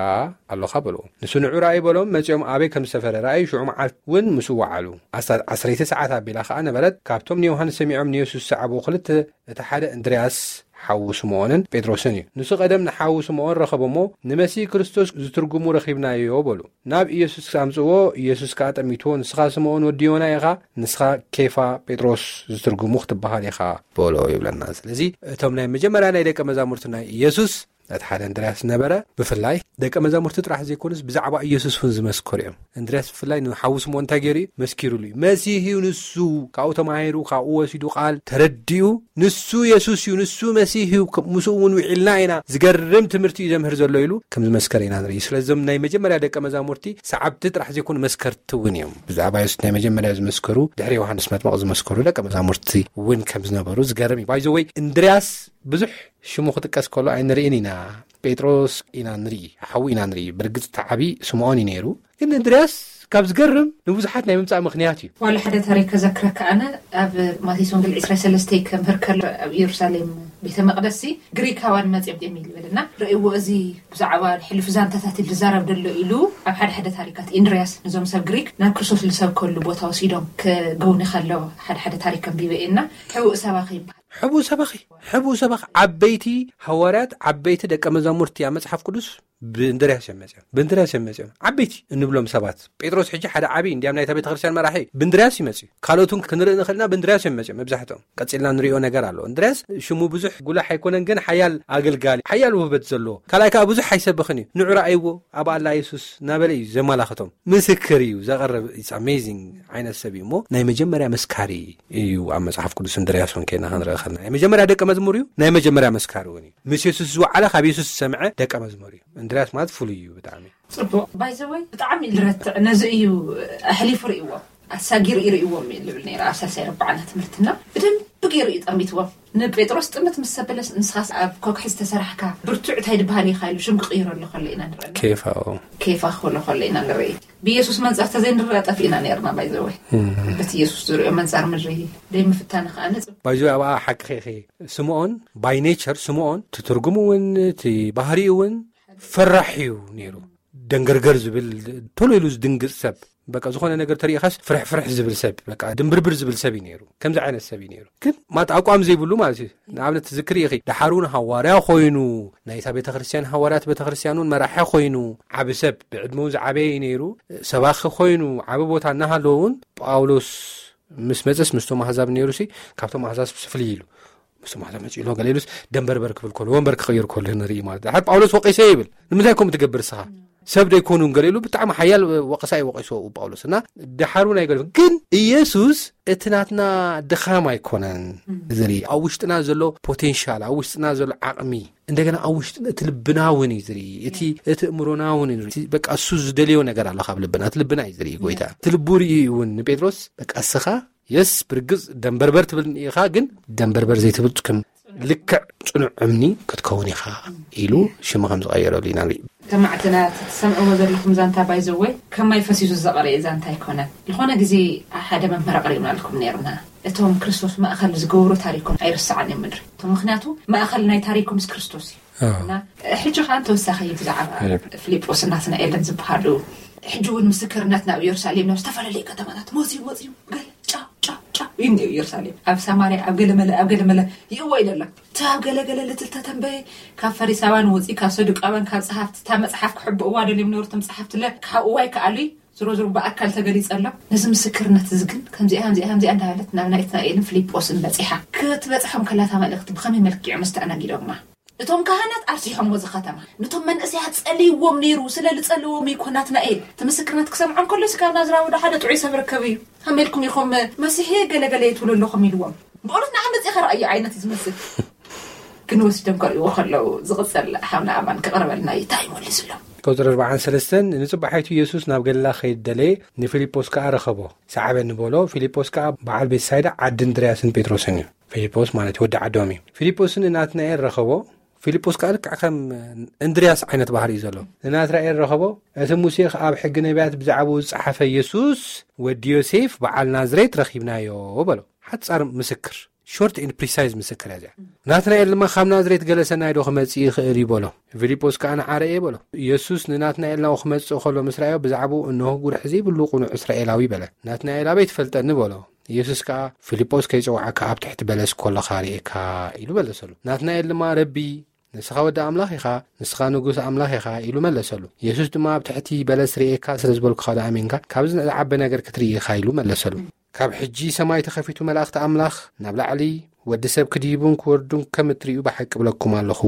ኣሎኻ በልዎ። ንሱ ንዑ ረኣዩ በሎም። መጺኦም ኣበይ ከም ዝሰፈረ ረኣዩ። ሽዑ መዓልቲ እውን ምስኡ ወዓሉ። ኣስታት ዓሰርተ ሰዓት ኣቢላ ኸዓ ነበረት። ካብቶም ንዮሃንስ ሰሚዖም ንየሱስ ዝሰዓብዎ ክልተ እቲ ሓደ እንድርያስ ሓዉ ስምኦንን ጴጥሮስን እዩ። ንሱ ቀደም ንሓዉ ስምኦን ረኸቦ እሞ ንመሲህ ክርስቶስ ዝትርጉሙ ረኺብናዮ በሉ። ናብ ኢየሱስ ኣምጽእዎ። ኢየሱስ ከኣ ጠሚትዎ፣ ንስኻ ስምኦን ወዲ ዮና ኢኻ፣ ንስኻ ኬፋ ጴጥሮስ ዝትርጉሙ ክትበሃል ኢኻ በሎ ይብለና። ስለዚ እቶም ናይ መጀመርያ ናይ ደቀ መዛሙርቲ ናይ ኢየሱስ እቲ ሓደ እንድርያስ ነበረ። ብፍላይ ደቀ መዛሙርቲ ጥራሕ ዘይኮኑስ ብዛዕባ ኢየሱስ እውን ዝመስከሩ እዮም። እንድርያስ ብፍላይ ንሓዉ ስምዖን እንታይ ገይሩ እዩ? መስኪሩሉ እዩ። መሲህ እዩ ንሱ። ካብኡ ተማሂሩ፣ ካብኡ ወሲዱ ቃል ተረዲኡ፣ ንሱ የሱስ እዩ፣ ንሱ መሲህ እዩ፣ ከ-፣ ምስኡ እውን ውዒልና ኢና፣ ዝገርም ትምህርቲ እዩ ዘምህር ዘሎ ኢሉ ከም ዝመስከረ ኢና ንርኢ። ስለዞም ናይ መጀመርያ ደቀ መዛሙርቲ ሰዓብቲ ጥራሕ ዘይኮኑ መስከርቲ እውን እዮም። ብዛዕባ የሱስ ናይ መጀመርያ ዝመስከሩ፣ ድሕሪ ዮሃንስ መጥምቕ ዝመስከሩ ደቀ መዛሙርቲ እውን ከም ዝነበሩ ዝገርም እዩ። ባይዘወይ እንድርያስ ብዙሕ ሽሙ ክጥቀስ ከሎ ኣይንርእን ኢና። ጴጥሮስ ኢና ንርኢ፣ ሓዉ ኢና ንርኢ። ብርግጽ እቲ ዓቢ ስምዖን እዩ ነይሩ። ግን እንድርያስ ካብ ዝገርም ንብዙሓት ናይ ምምጻእ ምኽንያት እዩ። ዋላ ሓደ ታሪክ ከዘክረካ ኣነ ኣብ ማቴዎስ ወንጌል ዕስራ ሰለስተ ከምህር ከሎ ኣብ ኢየሩሳሌም ቤተ መቕደስ ሲ ግሪካውያን መጺኦም እዮም ይብል እና ርእይዎ እዚ ብዛዕባ ሕሉፍ ዛንታታት ዝዛረብ ዘሎ ኢሉ ኣብ ሓደ ሓደ ታሪካት እንድርያስ ንዞም ሰብ ግሪክ ናብ ክርስቶስ ዝሰብከሉ ቦታ ወሲዶም ክገውኒ ከሎ ሓደ ሓደ ታሪክ ከንቢበ እና ሕቡእ ሰባኺ ይበሃል። ሕቡእ ሰባኺ፣ ሕቡእ ሰባኺ ዓበይቲ ሃዋርያት፣ ዓበይቲ ደቀ መዛሙርቲ ኣብ መጽሓፍ ቅዱስ ብእንድርያስ እዮም መጽኦም። ብእንድርያስ እዮም መጽኦም። ዓበይቲ እንብሎም ሰባት። ጴጥሮስ ሕጂ ሓደ ዓቢ እንዲያም ናይታ ቤተ ክርስቲያን መራሒ ብእንድርያስ ይመጽእ። ካልኦት እውን ክንርኢ ንኽእል ኢና፣ ብእንድርያስ እዮም መጽኦም መብዛሕትኦም። ቀጺልና ንሪኦ ነገር ኣሎ። እንድርያስ ሽሙ ብዙሕ ጉላሕ ኣይኮነን፣ ግን ሓያል ኣገልጋሊ፣ ሓያል ውህበት ዘለዎ። ካልኣይ ከኣ ብዙሕ ኣይሰብኽን እዩ። ንዑ ረኣይዎ፣ ኣብ ኣላ የሱስ እናበለ እዩ ዘመላኽቶም። ምስክር እዩ ዘቕርብ። It's amazing ዓይነት ሰብ እዩ እሞ ናይ መጀመርያ መስካሪ እዩ ኣብ መጽሓፍ ቅዱስ እንድርያስ እውን ከይና ክንርኢ ከለና። ናይ መጀመርያ ደቀ መዝሙር እዩ፣ ናይ መጀመርያ መስካሪ እውን እዩ። ምስ የሱስ ዝወዓለ ካብ የሱስ ዝሰምዐ ደቀ መዝሙር እዩ። እንድርያስ ማለት ፍሉይ እዩ ብጣዕሚ። ጽቡቕ። ባይዘወይ ብጣዕሚ ልረትዕ ነዚ እዩ ኣሕሊፉ ርእይዎ። ኣሳጊሩ ይርእይዎም እዩ ልብል ነይረ ኣብ ሳልሳይ ረብዓና ትምህርትና። ብደንብ ገይሩ እዩ ጠሚትዎም። ንጴጥሮስ ጥምት ምስ ሰበለስ ንስኻስ ኣብ ኮክሒ ዝተሰራሕካ ብርቱዕ እንታይ ድበሃል ኢኻ ኢሉ ሽም ክቕይረሉ ከሎ ኢና ንርኢ። ኬፋ፣ ኦ። ኬፋ ክብሎ ከሎ ኢና ንርኢ። ብኢየሱስ መንጻር ተዘይንረኣ ጠፊእና ነይርና ባይዘወይ። በቲ ኢየሱስ ዝርእዮ መንጻር ምድሪ ደይ ምፍታን ከኣ ንጽብ። ባይዘወይ ኣብኣ ሓቂ ኸይኸ ስምዖን፣ ባይ ኔቸር ስምዖን፣ እቲ ትርጉሙ እውን፣ እቲ ባህሪኡ እውን ፈራሕ እዩ ነይሩ። ደንገርገር ዝብል፣ ቶሎ ኢሉ ዝድንግጽ ሰብ። በቃ ዝኾነ ነገር ተሪኢኻስ ፍርሕ ፍርሕ ዝብል ሰብ፣ በቃ ድንብርብር ዝብል ሰብ እዩ ነይሩ። ከምዚ ዓይነት ሰብ እዩ ነይሩ። ግን ማት ኣቋም ዘይብሉ ማለት እዩ። ንኣብነት ትዝክሪ ኢኺ፣ ደሓር እውን ሃዋርያ ኮይኑ፣ ናይታ ቤተ ክርስቲያን ሃዋርያት ቤተ ክርስቲያን እውን መራሒ ኮይኑ፣ ዓቢ ሰብ፣ ብዕድመ እውን ዝዓበየ እዩ ነይሩ፣ ሰባኺ ኮይኑ፣ ዓቢ ቦታ እናሃለዎ እውን ጳውሎስ ምስ መጸስ ምስቶም ኣህዛብ ነይሩ ሲ፣ ካብቶም ኣህዛብ ፍልይ ኢሉ። ምስቶም ኣህዛብ መጺኡ ኣሎ ገለ ኢሉስ ደንበርበር ክብል ከሎ፣ ወንበር ክቕይር ከሎ ንርኢ ማለት። ደሓር ጳውሎስ ወቒሰ ይብል። ንምንታይ ከምኡ ትገብር ንስኻ? ሰብ ደይኮኑን ገለ ኢሉ ብጣዕሚ ሓያል ወቐሳ እዩ ወቒስዎ ጳውሎስ። እና ደሓር እውን ኣይገለ። ግን ኢየሱስ እቲ ናትና ድኻም ኣይኮነን ዝርኢ። ኣብ ውሽጥና ዘሎ ፖቴንሻል፣ ኣብ ውሽጥና ዘሎ ዓቕሚ፣ እንደገና ኣብ ውሽጥና እቲ ልብና እውን እዩ ዝርኢ። እቲ፣ እቲ እምሮና እውን እዩ ዝርኢ። እቲ በቃ እሱ ዝደልዮ ነገር ኣሎ ካብ ልብና። እቲ ልብና እዩ ዝርኢ ጎይታ። እቲ ልቡ ርእዩ እዩ እውን ንጴጥሮስ በቃ እስኻ የስ ብርግጽ ደንበርበር ትብል ኢኻ፣ ግን ደንበርበር ዘይትብል ከም ልክዕ ጽኑዕ እምኒ ክትከውን ኢኻ ኢሉ ሽሙ ከም ዝቐየረሉ ኢና ንርኢ። ሰማዕትና፣ እቲ ትሰምዕዎ ዘለኹም ዛንታ ባይዘወይ ከማይ ፈሲሱ ዘቐረየ ዛንታ ኣይኮነን። ዝኾነ ግዜ ሓደ መምህር ኣቕሪብናልኩም ነይርና። እቶም ክርስቶስ ማእከል ዝገብሩ ታሪኮም ኣይርስዓን እዮም ምድሪ። እቶም ምኽንያቱ ማእከል ናይ ታሪኮምስ ክርስቶስ እዩ። ኣዎ። እና ሕጂ ኸኣ ተወሳኺ ብዛዕባ ኣየብ። ፊልጶስን ናትናኤልን ዝበሃሉ ሕጂ እውን ምስክርነት ናብ ኢየሩሳሌም ናብ ዝተፈላለዩ ከተማታት መፅዩ መፅዩ ገለ ጫው ጫው ጫው እዩ እኒኦ ኢየሩሳሌም። ኣብ ሰማርያ፣ ኣብ ገለመለ፣ ኣብ ገለመለ ይእወ ኢለ ኣሎ። እቲ ኣብ ገለገለ ልትል ተተንበየ፣ ካብ ፈሪሳውያን ወፂኡ፣ ካብ ሰዱቃውያን፣ ካብ ፀሓፍቲ፣ እታ መፅሓፍ ክሕብእዋ ደልዮም ነበሩ፣ እቶም ፀሓፍቲ ለ ክሓብእዋ ይከኣሉ እዩ። ዝሮ ዝሮ ብኣካል ተገሊጸ ኣሎ። ነዚ ምስክርነት እዚ ግን ከምዚኣ፣ ከምዚኣ፣ ከምዚኣ እንዳበለት ናብ ናትናኤልን ፊልጶስን በጺሓ። ክትበጽሖም ከላ እታ መልእኽቲ ብኸመይ መልክዕ እዮም ኣስተኣናጊዶማ? እቶም ካህናት ኣርሲሖምዎ እዚ ኸተማ። ነቶም መንእሰያት ጸልይዎም ነይሩ፣ ስለ ዝጸልዎም እዩ እኮ ናትናኤል። እቲ ምስክርነት ክሰምዖ እንከሎ፣ "እስካብ ናዝራዊ ዶ ሓደ ጥዑይ ሰብ ርከብ እዩ? ከመይ ኢልኩም ኢኹም መሲሕ ገለ ገለ ትብሉ ኣለኹም?" ኢልዎም። ብእውነት ንዓመጽ ኢኻ ረኣዮ ዓይነት እዩ ዝመስል። ግን ወሲዶም ከርእይዎ ከለዉ ዝቕጽል ሓውና ኣማን ክቕርበልና እዩ። እንታይ እዩ መሊሱሎም? ቁጽሪ ኣርባዓን ሰለስተን፣ ንጽባሒቱ የሱስ ናብ ገሊላ ክኸይድ ደለየ፣ ንፊልጶስ ከኣ ረኸቦ። ሰዓበኒ በሎ። ፊልጶስ ከኣ በዓል ቤትሳይዳ ዓዲ እንድርያስን ጴጥሮስን እዩ። ፊልጶስ ማለት ወዲ ዓዶም እዩ። ፊልጶስ ንናትናኤል ረኸቦ። ፊልጶስ ከኣ ልክዕ ከም እንድርያስ ዓይነት ባህሪ እዩ ዘሎ። ንናትናኤል ረኸቦ። እቲ ሙሴ ከኣ ኣብ ሕጊ ነቢያት ብዛዕባኡ ዝጸሓፈ የሱስ ወዲ ዮሴፍ በዓል ናዝሬት ረኺብናዮ በሎ። ሓጻር ምስክር። ሾርት ኤንድ ፕሪሳይዝ ምስክር እያ እዚኣ። ናትናኤል ድማ፣ "ካብ ናዝሬት ገለ ሰናይ ዶ ክመጽእ ይኽእል እዩ?" በሎ። ፊልጶስ ከኣ፣ "ንዓ ርኤ" በሎ። ኢየሱስ ንናትናኤል ናብኡ ክመጽእ ከሎ ምስ ረኣዮ፣ ብዛዕባኡ፣ "እንሆ፣ ጉርሒ ዘይብሉ ቅኑዕ እስራኤላዊ" በለ። ናትናኤል፣ "ኣበይ ትፈልጠኒ?" በሎ። ኢየሱስ ከኣ፣ "ፊልጶስ ከይጸውዓካ ኣብ ትሕቲ በለስ ከለኻ ርኤካ" ኢሉ መለሰሉ። ናትናኤል ድማ፣ "ረቢ፣ ንስኻ ወዲ ኣምላኽ ኢኻ፣ ንስኻ ንጉስ ኣምላኽ ኢኻ" ኢሉ መለሰሉ። ኢየሱስ ድማ፣ "ኣብ ትሕቲ በለስ ርኤካ ስለ ዝበልኩኻ ዶ ኣሚንካ? ካብዚ ዝዓበ ነገር ክትርኢ ኢኻ" ኢሉ መለሰሉ። ካብ ሕጂ ሰማይ ተኸፊቱ፣ መላእኽቲ ኣምላኽ ናብ ላዕሊ ወዲ ሰብ ክድይቡን ክወርዱን ከም እትርእዩ ብሓቂ እብለኩም ኣለኹ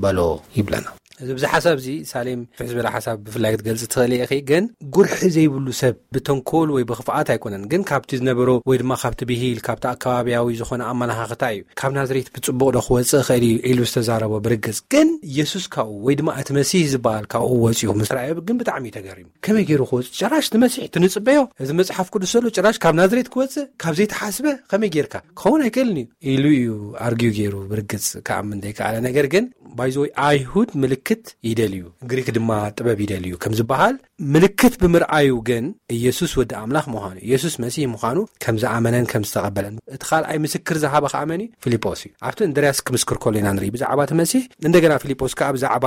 በሎ ይብለና። እዚ ብዚ ሓሳብ እዚ ሳሌም ፍሕ ዝበለ ሓሳብ ብፍላይ ክትገልጽ ትኽእል ኢኺ። ግን ጉርሒ ዘይብሉ ሰብ ብተንኮል ወይ ብኽፍኣት ኣይኮነን፣ ግን ካብቲ ዝነበሮ ወይ ድማ ካብቲ ብሂል ካብቲ ኣከባቢያዊ ዝኾነ ኣመላኻኽታ እዩ። ካብ ናዝሬት ብጽቡቕ ዶ ክወጽእ ይኽእል እዩ ኢሉ ዝተዛረቦ ብርግጽ። ግን ኢየሱስ ካብኡ ወይ ድማ እቲ መሲህ ዝበሃል ካብኡ ወጺኡ ምስ ረኣዮ ግን ብጣዕሚ እዩ ተገሪሙ። ከመይ ገይሩ ክወጽእ? ጭራሽ እቲ መሲሕ እቲ ንጽበዮ፣ እዚ መጽሓፍ ቅዱስ ዘሎ ጭራሽ ካብ ናዝሬት ክወጽእ ካብ ዘይተሓስበ ከመይ ጌርካ? ክኸውን ኣይክእልን እዩ ኢሉ እዩ ኣርጊዩ ገይሩ ብርግጽ ክኣምን ዘይከኣለ። ነገር ግን ባይዘወይ ኣይሁድ ምልክት ይደልዩ፣ ግሪክ ድማ ጥበብ ይደልዩ ከም ዝበሃል ምልክት ብምርኣዩ ግን ኢየሱስ ወዲ ኣምላኽ ምዃኑ፣ ኢየሱስ መሲህ ምዃኑ ከም ዝኣመነን ከም ዝተቐበለን እቲ ካልኣይ ምስክር ዝሃበ ከኣ መን እዩ? ፊልጶስ እዩ። ኣብቲ እንድርያስ ክምስክር ከሎ ኢና ንርኢ ብዛዕባ እቲ መሲህ። እንደገና ፊልጶስ ከኣ ብዛዕባ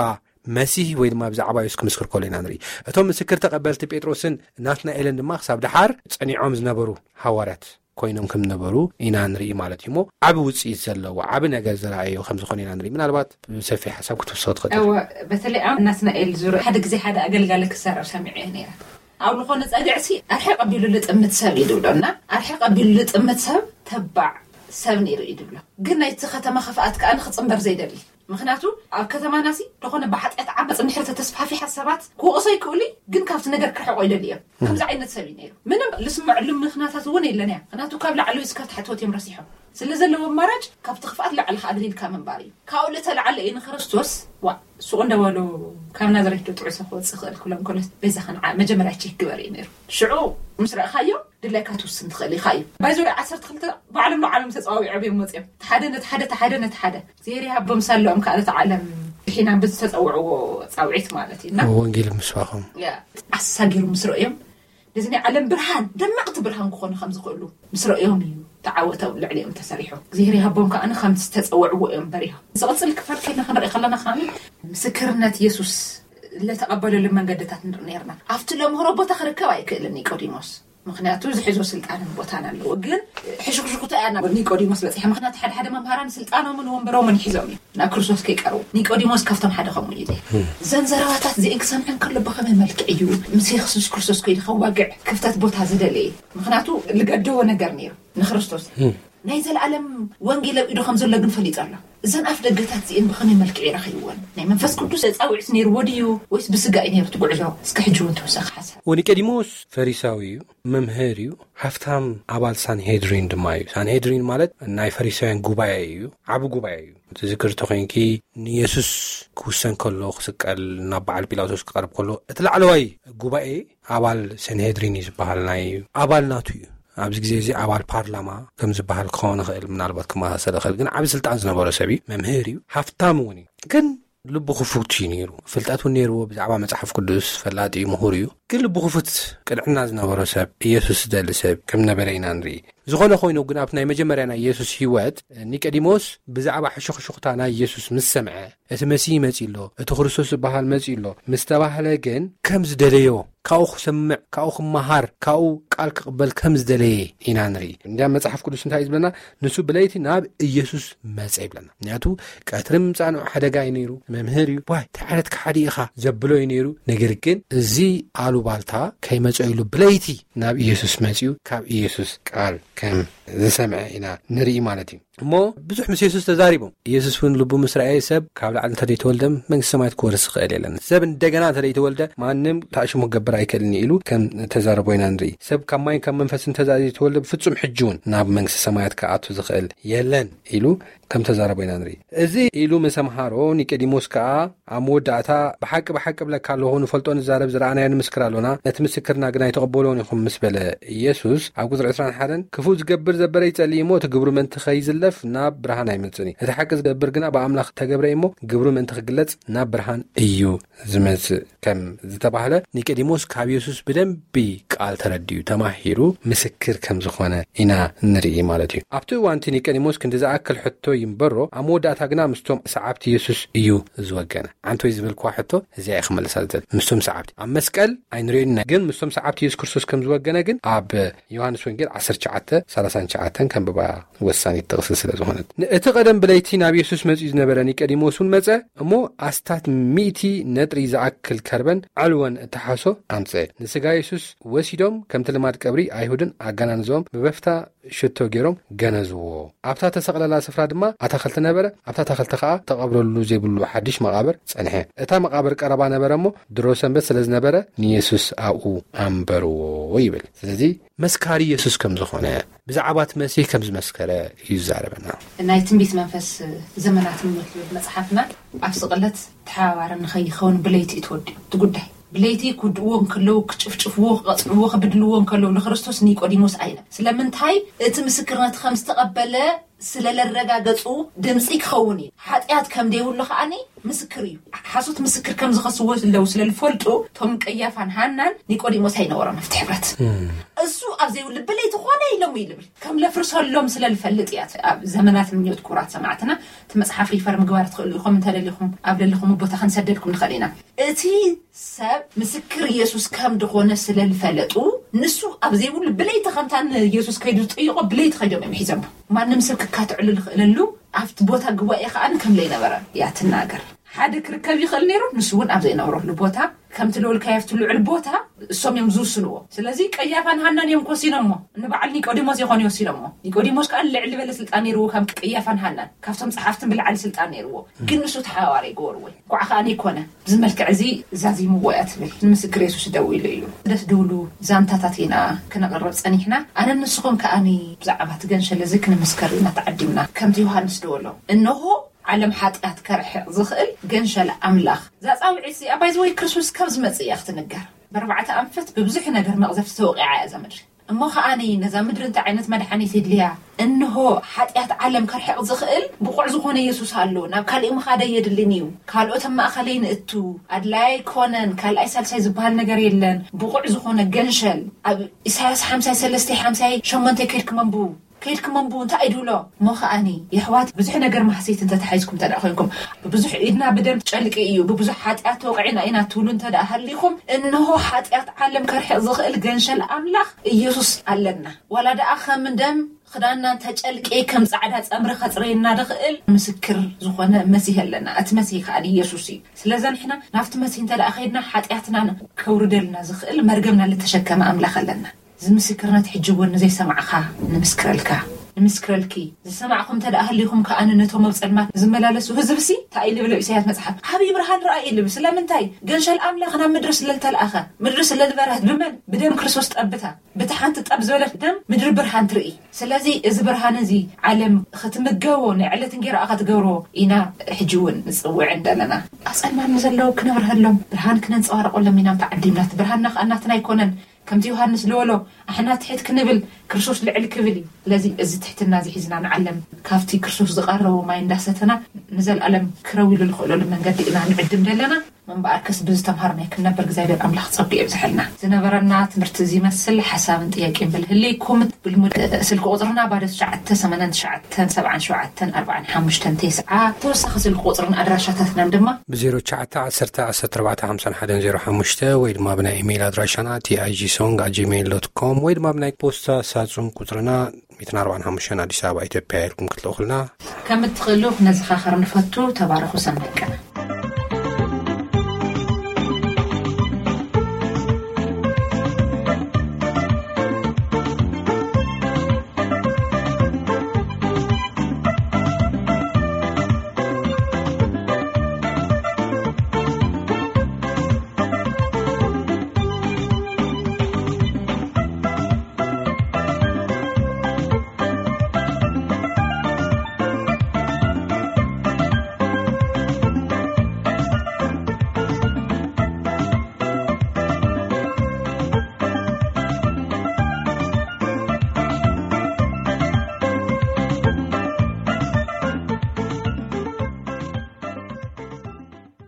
መሲህ ወይ ድማ ብዛዕባ ኢየሱስ ክምስክር ከሎ ኢና ንርኢ። እቶም ምስክር ተቐበልቲ ጴጥሮስን ናትናኤልን ድማ ክሳብ ደሓር ጸኒዖም ዝነበሩ ሃዋርያት ኮይኖም ከም ነበሩ ኢና ንርኢ ማለት እዩ። እሞ ዓቢ ውጽኢት ዘለዎ ዓቢ ነገር ዝረኣዮ ከም ዝኾነ ኢና ንርኢ። ምናልባት ብሰፊሕ ሓሳብ ክትውስኽ ትኽእል። እወ፣ በተለይ ኣብ ናትናኤል ዙርያ ሓደ ግዜ ሓደ ኣገልጋሊ ክዛረብ ሰሚዐ እየ ነይረ። ኣብ ዝኾነ ጸግዕሲ ኣርሒቕ ኣቢሉ ልጥምት ሰብ እዩ ድብሎ እና ኣርሒቕ ኣቢሉ ልጥምት ሰብ ተባዕ ሰብ ነይሩ እዩ ድብሎ። ግን ናይቲ ከተማ ክፍኣት ከኣ ንክጽንበር ዘይደሊ። ምኽንያቱ ኣብ ከተማናሲ ዝኾነ ብሓጢኣት ዓመፅ እንድሕር ተተስፋፊሐ ሰባት ክወቕሶ ይክእሉ እዩ፣ ግን ካብቲ ነገር ክርሕቆ ይደሊ እዮም። ከምዚ ዓይነት ሰብ እዩ ነይሩ። ምንም ልስምዐሉ ምኽንያታት እውን የለን እያ። ምኽንያቱ ካብ ላዕሊ እስካብ ታሕቲ ወትዮም ረሲሖም ስለ ዘለዉ ኣማራጭ ካብቲ ክፍኣት ላዕሊ ከኣ ኣግሊልካ ምንባር እዩ። ካብኡ ልተላዓለ እዩ ንክርስቶስ ዋ ሱቕ እንደበሉ ካብ ናዝሬት ዶ ጥዑይ ሰብ ክወፅእ ክእል ክብሎም ከሎ በዛ ከንዓ መጀመርያ ቼክ ግበር እዩ ነይሩ። ሽዑ ምስ ረእኻዮ ድላይካ ትውስን ትኽእል ኢኻ እዩ። ባይዞ ዓሰርተ ክልተ ባዕሎም ንዓሎም ተፀዋዊዖም እዮም መፅኦም። ሓደ ነቲ ሓደ፣ እቲ ሓደ ነቲ ሓደ። እግዚኣብሔር ይሃቦም ሳለኦም ከዓ ነቲ ዓለም ድሒና ብዝተፀውዕዎ ፃውዒት ማለት እዩ። እና ወንጌል ምስባኾም። ያ፣ ኣሳጊሩ ምስ ረእዮም ነዚ ናይ ዓለም ብርሃን ደመቕቲ ብርሃን ክኾኑ ከም ዝኽእሉ ምስ ረእዮም እዩ ተዓወቶም ልዕሊኦም ተሰሪሑ። እግዚኣብሔር ይሃቦም ከዓ ከም ዝተፀውዕዎ እዮም በሪሆም። ዝቕፅል ክፋል ከይና ክንርኢ ከለና ከዓ ምስክርነት የሱስ ለተቐበለሉ መንገድታት ንርኢ ነርና። ኣብቲ ለምህሮ ቦታ ክርከብ ኣይክእልን ኒቆዲሞስ። ምኽንያቱ ዝሕዞ ስልጣንን ቦታን ኣለዎ። ግን ሕሹኽሹኽታ እያ ናብ ኒቆዲሞስ በፂሐ። ምኽንያቱ ሓደ ሓደ መምሃራን ስልጣኖምን ወንበሮምን ሒዞም እዮም ናብ ክርስቶስ ከይቀርቡ። ኒቆዲሞስ ካብቶም ሓደ ከምኡ እዩ። እዘን ዘረባታት እዚአን ክሰምዐን ከሎ ብኸመይ መልክዕ እዩ ምስ የሱስ ክርስቶስ ከይዱ ከዋግዕ ክፍተት ቦታ ዝደለየ? ምኽንያቱ ልገደቦ ነገር ነይሩ ንክርስቶስ። ናይ ዘለኣለም ወንጌል ኣብ ኢዱ ከም ዘሎ ግን ፈሊጡ ኣሎ። እዘን ኣፍ ደገታት እዚአን ብኸመይ መልክዕ ይረኸይዎን? ናይ መንፈስ ቅዱስ ፃውዒት ነይርዎ ድዩ ወይስ ብስጋ እዩ ነይሩ እቲ ጉዕዞ? እስከ ሕጂ እውን ተወሳኺ ሓሳብ። ወኒቀዲሞስ ፈሪሳዊ እዩ፣ መምህር እዩ፣ ሃፍታም ኣባል ሳንሄድሪን ድማ እዩ። ሳንሄድሪን ማለት ናይ ፈሪሳውያን ጉባኤ እዩ፣ ዓቢ ጉባኤ እዩ። ትዝክር ተኾይንኪ ንየሱስ ክውሰን ከሎ ክስቀል ናብ በዓል ጲላጦስ ክቐርብ ከሎ እቲ ላዕለዋይ ጉባኤ ኣባል ሰንሄድሪን እዩ ዝበሃል ናይ ኣባል ናቱ እዩ። ኣብዚ ግዜ እዚ ኣባል ፓርላማ ከም ዝበሃል ክኸውን ይኽእል፣ ምናልባት ክመሳሰል ይኽእል፣ ግን ዓቢ ስልጣን ዝነበሮ ሰብ እዩ። መምህር እዩ፣ ሃፍታም እውን እዩ። ግን ልቡ ክፉት እዩ ነይሩ። ፍልጠት እውን ነይርዎ፣ ብዛዕባ መጽሓፍ ቅዱስ ፈላጥ እዩ፣ ምሁር እዩ። ግን ልቡ ክፉት ቅንዕና ዝነበሮ ሰብ፣ ኢየሱስ ዝደሊ ሰብ ከም ነበረ ኢና ንርኢ። ዝኾነ ኮይኑ ግን ኣብቲ ናይ መጀመርያ ናይ ኢየሱስ ህይወት ኒቆዲሞስ ብዛዕባ ሕሹኽሹኽታ ናይ ኢየሱስ ምስ ሰምዐ፣ እቲ መሲህ መጺኡ ኣሎ፣ እቲ ክርስቶስ ዝበሃል መጺኡ ኣሎ ምስ ተባህለ ግን ከም ዝደለዮ፣ ካብኡ ክሰምዕ፣ ካብኡ ክመሃር፣ ካብኡ ቃል ክቕበል ከም ዝደለየ ኢና ንርኢ። እንዲያ መጽሓፍ ቅዱስ እንታይ እዩ ዝብለና? ንሱ ብለይቲ ናብ ኢየሱስ መጸ ይብለና። ምክንያቱ ቀትሪ ምምጻእ ንዑ ሓደጋ እዩ ነይሩ። መምህር እዩ፣ ዋይ እንታይ ዓይነት ከሓዲ ኢኻ ዘብሎ እዩ ነይሩ። ነገር ግን እዚ ኣሉባልታ ከይመጸ ኢሉ ብለይቲ ናብ ኢየሱስ መጺኡ ካብ ኢየሱስ ቃል ከም ዝሰምዐ ኢና ንርኢ ማለት እዩ። እሞ ብዙሕ ምስ የሱስ ተዛሪቦም። ኢየሱስ እውን ልቡ ምስ ረኣየ ሰብ ካብ ላዕሊ እንተዘይተወልደ መንግስቲ ሰማያት ክወርስ ዝኽእል የለን። ሰብ እንደገና እንተዘይተወልደ ማንም ታእሽሙ ክገብር ኣይክእልን እዩ ኢሉ ከም ተዛረቦ ኢና ንርኢ። ሰብ ካብ ማይን ካብ መንፈስን እንተዘይተወልደ ብፍጹም ሕጂ እውን ናብ መንግስቲ ሰማያት ክኣቱ ዝኽእል የለን ኢሉ ከም ተዛረቦ ኢና ንርኢ። እዚ ኢሉ ምስ ኣምሃሮ ኒቆዲሞስ ከኣ ኣብ መወዳእታ ብሓቂ ብሓቂ እብለካ ኣለኹ ንፈልጦ ንዛረብ ዝረኣናዮ ንምስክር ኣሎና፣ ነቲ ምስክርና ግን ኣይተቐበልዎን ኢኹም ምስ በለ ኢየሱስ ኣብ ቁጽሪ ዕስራን ሓደን ክፉእ ዝገብር ዘበረ ይጸልእ እሞ እቲ ግብሩ ምእንቲ ከይዝለፍ ናብ ብርሃን ኣይመጽእን እዩ። እቲ ሓቂ ዝገብር ግና ብኣምላኽ እተገብረ እዩ እሞ ግብሩ ምእንቲ ክግለጽ ናብ ብርሃን እዩ ዝመጽእ ከም ዝተባህለ ኒቆዲሞስ ካብ የሱስ ብደንቢ ቃል ተረዲኡ ተማሂሩ ምስክር ከም ዝኾነ ኢና ንርኢ ማለት እዩ። ኣብቲ እዋንቲ ኒቆዲሞስ ክንዲ ዝኣክል ሕቶ ይንበሮ ኣብ መወዳእታ ግና ምስቶም ሰዓብቲ የሱስ እዩ ዝወገነ። ዓንቶይ ዝበልክዋ ሕቶ እዚኣ እየ ክመልሳ ዝደሊ። ምስቶም ሰዓብቲ ኣብ መስቀል ኣይንሪኦን ኢና፣ ግን ምስቶም ሰዓብቲ የሱስ ክርስቶስ ከም ዝወገነ ግን ኣብ ዮሃንስ ወንጌል ዓሰርተ ትሽዓተ ሰላሳን ትሽዓተን ከንብባ ወሳኒት ጥቕሲ። ስለ ዝኾነት። እቲ ቀደም ብለይቲ ናብ የሱስ መጺኡ ዝነበረ ኒቆዲሞስ እውን መጸ፣ እሞ ኣስታት ሚእቲ ነጥሪ ዝኣክል ከርበን ዕልወን እተሓሶ ኣምጸ። ንስጋ የሱስ ወሲዶም፣ ከምቲ ልማድ ቀብሪ ኣይሁድን ኣገናንዞም ብበፍታ ሽቶ ገይሮም ገነዝዎ። ኣብታ ተሰቕለላ ስፍራ ድማ ኣታኽልቲ ነበረ። ኣብታ ኣታኽልቲ ኸኣ ተቐብረሉ ዘይብሉ ሓድሽ መቓብር ጸንሐ። እታ መቓብር ቀረባ ነበረ እሞ ድሮ ሰንበት ስለ ዝነበረ ንየሱስ ኣብኡ ኣንበርዎ ይብል። ስለዚ መስካሪ የሱስ ከም ዝኾነ፣ ብዛዕባ እቲ መሲህ ከም ዝመስከረ እዩ ዝዛረበና። ናይ ትንቢት መንፈስ ዘመናት ምሞት ዝብል መጽሓፍና ኣብ ስቕለት ተሓባባሪ ንኸይኸውን ብለይቲ እዩ ተወዲኡ እቲ ጉዳይ። ብለይቲ ክውድእዎ እንከለዉ፣ ክጭፍጭፍዎ፣ ክቐጽዕዎ፣ ክብድልዎ እንከለዉ ንክርስቶስ ኒቆዲሞስ ኣይነ ስለምንታይ እቲ ምስክርነት ከም ዝተቐበለ ስለ ለረጋገጹ ድምጺ ክኸውን እዩ። ሓጢኣት ከም ደይብሉ ከኣኒ ምስክር እዩ። ሓሶት ምስክር ከም ዝኸስዎ ኣለዉ ስለ ዝፈልጡ፣ እቶም ቀያፋን ሃናን ኒቆዲሞስ ኣይነበሮም ኣብቲ ሕብረት። እሱ ኣብ ዘይብሉ ብለይቲ ኮነ ኢሎም እዩ ልብል። ከም ለፍርሰሎም ስለ ልፈልጥ እያ። ኣብ ዘመናት ምንዮት ክቡራት ሰማዕትና እቲ መጽሓፍ ሪፈር ምግባር ትኽእሉ ኢኹም። እንተደሊኹም ኣብ ለለኹም ቦታ ክንሰደልኩም ንኽእል ኢና። እቲ ሰብ ምስክር ኢየሱስ ከም ድኾነ ስለ ልፈለጡ፣ ንሱ ኣብ ዘይብሉ ብለይቲ ከምታ ንኢየሱስ ከይዱ ዝጠይቆ ብለይቲ ከይዶም እዮም ሒዞሞ። ማንም ሰብ ክካትዕሉ ዝኽእለሉ ኣብቲ ቦታ ጉባኤ ከኣ ከም ለይነበረ እያ ትናገር። ሓደ ክርከብ ይኽእል ነይሩ፣ ንሱ እውን ኣብ ዘይነበረሉ ቦታ፣ ከምቲ ልውልካዮ ኣብቲ ልዑል ቦታ እሶም እዮም ዝውስንዎ። ስለዚ ቀያፋን ሃናን እዮም ክወሲኖሞ፣ ንበዓል ኒቆዲሞስ ይኾኑ ይወሲኖሞ። ኒቆዲሞስ ከኣ ልዕሊ ዝበለ ስልጣን ነይርዎ ካብ ቀያፋን ሃናን፣ ካብቶም ጸሓፍትን ብልዓሊ ስልጣን ነይርዎ። ግን ንሱ ተሓባባሪ ይገበርዎ። እንኳዕ ከኣ ይኮነ፣ ብዚ መልክዕ እዚ ዛዚምዎ እያ ትብል። ንምስክር የሱስ ደው ኢሉ እዩ። ደስ ድብሉ ዛንታታት ኢና ክነቕርብ ጸኒሕና። ኣነ ንስኹም ከኣኒ ብዛዕባ እቲ ገንሸል እዚ ክንምስከር ኢና ተዓዲምና። ከምቲ ዮሃንስ ደወሎ፣ እንሆ ዓለም ሓጢኣት ከርሕቕ ዝኽእል ገንሸል ኣምላኽ። እዛ ጻውዒት እዚኣ ባይዘወይ ክርስቶስ ካብ ዝመጽእ እያ ክትንገር። ብኣርባዕተ ኣንፈት ብብዙሕ ነገር መቕዘፍቲ ተወቒዓ እያ እዛ ምድሪ። እሞ ከኣኒ ነዛ ምድሪ እንታይ ዓይነት መድሓኒት የድልያ? እንሆ ሓጢኣት ዓለም ከርሕቕ ዝኽእል ብቑዕ ዝኾነ የሱስ ኣሎ። ናብ ካሊእ ምኻድ ኣየድልን እዩ። ካልኦት ኣብ ማእኸለይ ንእቱ፣ ኣድላይ ኣይኮነን፣ ካልኣይ ሳልሳይ ዝበሃል ነገር የለን። ብቑዕ ዝኾነ ገንሸል ኣብ ኢሳያስ ሓምሳይ ሰለስተ ሓምሳይ ሸሞንተ ከይድኩም ኣንብቡ። ከይድኩም ኣንብቡ እንታይ እዩ ድብሎ? እሞ ከኣኒ የሕዋት ብዙሕ ነገር ማህሰይቲ እንተተሓይዝኩም እንተ ደኣ ኮይንኩም፣ ብብዙሕ ኢድና ብደም ጨልቂ እዩ፣ ብብዙሕ ሓጢኣት ተወቒዕና ኢና ትብሉ እንተ ደኣ ሃሊኹም፣ እንሆ ሓጢኣት ዓለም ከርሕቕ ዝኽእል ገንሸል ኣምላኽ ኢየሱስ ኣለና። ዋላ ደኣ ከም ደም ክዳንና እንተጨልቂ ከም ጻዕዳ ጸምሪ ከጽረየና ዝኽእል ምስክር ዝኾነ መሲህ ኣለና። እቲ መሲህ ከኣ ኢየሱስ እዩ። ስለዚ ንሕና ናብቲ መሲህ እንተ ደኣ ከይድና ሓጢኣትና ከውርደልና ዝኽእል መርገምና ልተሸከመ ኣምላኽ ኣለና። እዚ ምስክርነት ሕጂ እውን ንዘይሰማዕኻ ንምስክረልካ፣ ንምስክረልኪ። ዝሰማዕኹም እንተ ደኣ ሃሊኹም ከኣ ነቶም ኣብ ጸልማት ዝመላለሱ ህዝብሲ እንታይ ኢሉ ብሎ ኢሳያስ መጽሓፍ? ዓብዪ ብርሃን ረኣዩ ኢሉ። ስለምንታይ? ገንሸል ኣምላኽ ናብ ምድሪ ስለ ልተልኣኸ፣ ምድሪ ስለ ዝበርሀት። ብመን? ብደም ክርስቶስ ጠብታ። ብቲ ሓንቲ ጠብ ዝበለት ደም ምድሪ ብርሃን ትርኢ። ስለዚ እዚ ብርሃን እዚ ዓለም ክትምገቦ፣ ናይ ዕለት እንጌራኣ ክትገብሮ ኢና ሕጂ እውን ንጽውዕን ዘለና። ኣብ ጸልማት ንዘለዉ ክነብርሀሎም፣ ብርሃን ክነንጸባርቐሎም ኢና ተዓዲምና። እቲ ብርሃንና ከኣ ናትና ኣይኮነን። ከምቲ ዮሃንስ ዝበሎ፣ ኣሕና ትሕት ክንብል፣ ክርስቶስ ልዕል ክብል እዩ። ስለዚ እዚ ትሕትና እዚ ሒዝና ንዓለም ካብቲ ክርስቶስ ዝቐረቦ ማይ እንዳሰተና ንዘለኣለም ክረው ኢሉ ዝኽእለሉ መንገዲ ኢና ንዕድም ዘለና። እምበኣርከስ ብዝተምሃርናዮ ክንነብር እግዚኣብሔር ኣምላኽ ጸጉ የብዝሐልና። ዝነበረና ትምህርቲ እዚ ይመስል። ሓሳብን ጥያቄን ብልህልይኩም ብልሙድ ስልኪ ቁጽርና ባዶ ትሽዓተ ሰማንያን ትሽዓተን ሰብዓን ሸውዓተን ኣርባዓን ሓሙሽተን ተስዓ። ተወሳኺ ስልኪ ቁጽርን ኣድራሻታትናን ድማ ብ ዜሮ ትሽዓተ ዓሰርተ ዓሰርተ ኣርባዕተ ሓምሳን ሓደን ዜሮ ሓሙሽተ ወይ ድማ ብናይ ኢሜይል ኣድራሻና ቲ ኣይ ጂ ሶንግ ኣት ጂሜይል ዶት ኮም ወይ ድማ ብናይ ፖስታ ሳጹን ቁጽርና ሚእትን ኣርባዓን ሓሙሽተን ኣዲስ ኣበባ ኢትዮጵያ ኢልኩም ክትልእኹልና ከም እትኽእሉ ክነዘኻኸር ንፈቱ። ተባረኹ። ሰናይ ቀን።